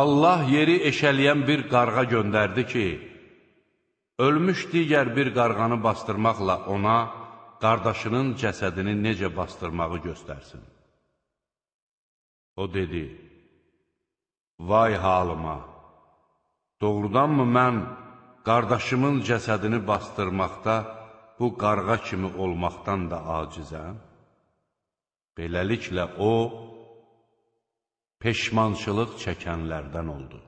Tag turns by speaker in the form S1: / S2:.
S1: Allah yeri eşələyən bir qarğa göndərdi ki, ölmüş digər bir qarğanı bastırmaqla ona qardaşının cəsədini necə bastırmağı göstərsin. O dedi, vay halıma, doğrudanmı mən qardaşımın cəsədini bastırmaqda bu qarğa kimi olmaqdan da acizəm? Beləliklə o, peşmançılıq çəkənlərdən oldu.